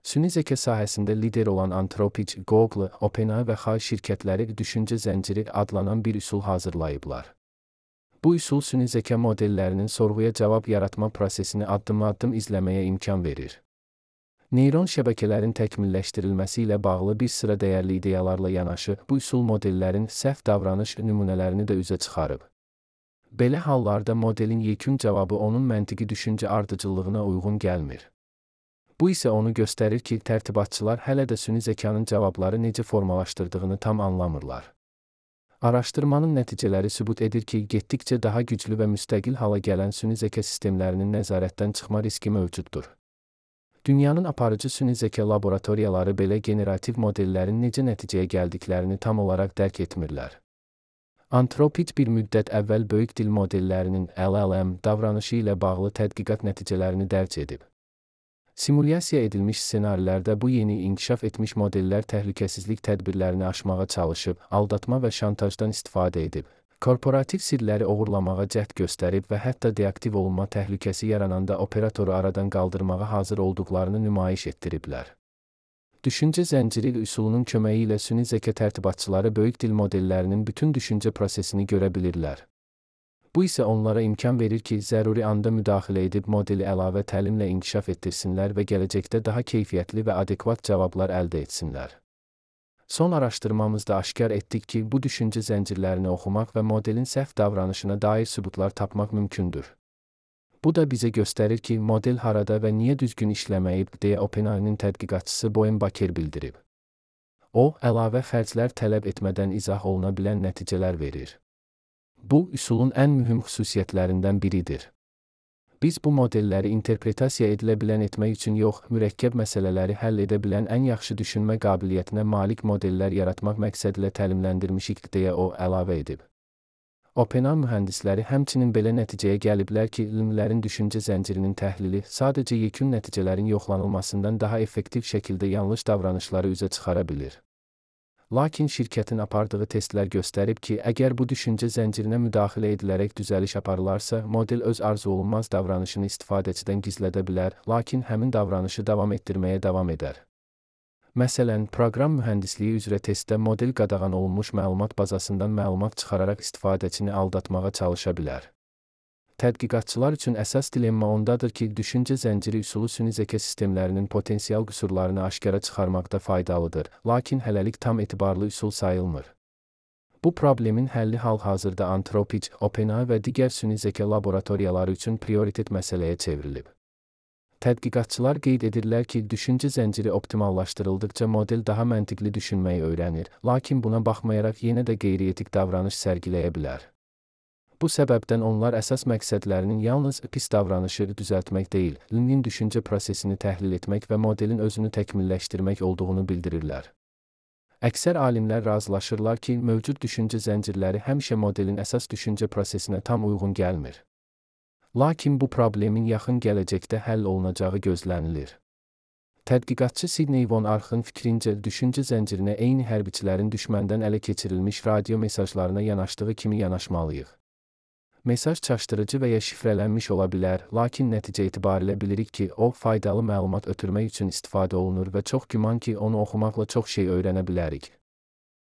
Süni zəka sahəsində lider olan Anthropic, Google, OpenAI və Xay şirkətləri düşüncə zənciri adlanan bir üsul hazırlayıblar. Bu üsul süni zəka modellərinin sorğuya cavab yaratma prosesini addım-addım izləməyə imkan verir. Neyron şəbəkələrin təkmilləşdirilməsi ilə bağlı bir sıra dəyərli ideyalarla yanaşı, bu üsul modellərin səhv davranış nümunələrini də üzə çıxarıb. Belə hallarda modelin yekun cavabı onun məntiqi düşüncə ardıcıllığına uyğun gəlmir. Bu isə onu göstərir ki, tərtibatçılar hələ də süni zəkanın cavabları necə formalaşdırdığını tam anlamırlar. Araşdırmanın nəticələri sübut edir ki, getdikcə daha güclü və müstəqil hala gələn süni zəka sistemlərinin nəzarətdən çıxma riski mövcuddur. Dünyanın aparıcı süni zəka laboratoriyaları belə generativ modellərin necə nəticəyə gəldiklərini tam olaraq dərk etmirlər. Anthropic bir müddət əvvəl böyük dil modellərinin LLM davranışı ilə bağlı tədqiqat nəticələrini dərc edib. Simulyasiya edilmiş ssenarilərdə bu yeni inkişaf etmiş modellər təhlükəsizlik tədbirlərini aşmağa çalışıb, aldatma və şantajdan istifadə edib, korporativ sirləri oğurlamağa cəhd göstərib və hətta deaktiv olunma təhlükəsi yarananda operatoru aradan qaldırmağa hazır olduqlarını nümayiş etdiriblər. Düşüncə zənciri üsulunun köməyi ilə süni zəka tərtibatçıları böyük dil modellərinin bütün düşüncə prosesini görə bilirlər. Bu isə onlara imkan verir ki, zəruri anda müdaxilə edib modeli əlavə təlimlə inkişaf etdirsinlər və gələcəkdə daha keyfiyyətli və adekvat cavablar əldə etsinlər. Son araşdırmamızda aşkar etdik ki, bu düşüncə zəncirlərini oxumaq və modelin səhv davranışına dair sübutlar tapmaq mümkündür. Bu da bizə göstərir ki, model harada və niyə düzgün işləməyib, deyə OpenAI-nin tədqiqatçısı Boyan Baker bildirib. O, əlavə xərclər tələb etmədən izah oluna bilən nəticələr verir. Bu, üsulun ən mühüm xüsusiyyətlərindən biridir. Biz bu modelləri interpretasiya edilə bilən etmək üçün yox, mürəkkəb məsələləri həll edə bilən ən yaxşı düşünmə qabiliyyətinə malik modellər yaratmaq məqsədilə təlimləndirmişik, deyə o əlavə edib. OpenAI mühəndisləri həmçinin belə nəticəyə gəliblər ki, elmlərin düşüncə zəncirinin təhlili sadəcə yekun nəticələrin yoxlanılmasından daha effektiv şəkildə yanlış davranışları üzə çıxara bilir. Lakin şirkətin apardığı testlər göstərib ki, əgər bu düşüncə zəncirinə müdaxilə edilərək düzəliş aparılarsa, model öz arzu olunmaz davranışını istifadəçidən gizlədə bilər, lakin həmin davranışı davam etdirməyə davam edər. Məsələn, proqram mühəndisliyi üzrə testdə model qadağan olunmuş məlumat bazasından məlumat çıxararaq istifadəçini aldatmağa çalışa bilər. Tədqiqatçılar üçün əsas dilemma ondadır ki, düşüncə zənciri üsulu süni zəka sistemlərinin potensial qüsurlarını aşkara çıxarmaqda faydalıdır, lakin hələlik tam etibarlı üsul sayılmır. Bu problemin həlli hal-hazırda Anthropic, OpenAI və digər süni zəka laboratoriyaları üçün prioritet məsələyə çevrilib. Tədqiqatçılar qeyd edirlər ki, düşüncə zənciri optimallaşdırıldıqca model daha məntiqli düşünməyi öyrənir, lakin buna baxmayaraq yenə də qeyri-etik davranış sərgiləyə bilər. Bu səbəbdən onlar əsas məqsədlərinin yalnız pis davranışı düzəltmək deyil, linin düşüncə prosesini təhlil etmək və modelin özünü təkmilləşdirmək olduğunu bildirirlər. Əksər alimlər razılaşırlar ki, mövcud düşüncə zəncirləri həmişə modelin əsas düşüncə prosesinə tam uyğun gəlmir. Lakin bu problemin yaxın gələcəkdə həll olunacağı gözlənilir. Tədqiqatçı Sidney Von Arxın fikrincə, düşüncə zəncirinə eyni hərbiçilərin düşməndən ələ keçirilmiş radio mesajlarına yanaşdığı kimi yanaşmalıyıq. Mesaj çaşdırıcı və ya şifrələnmiş ola bilər, lakin nəticə etibarilə bilirik ki, o, faydalı məlumat ötürmək üçün istifadə olunur və çox güman ki, onu oxumaqla çox şey öyrənə bilərik.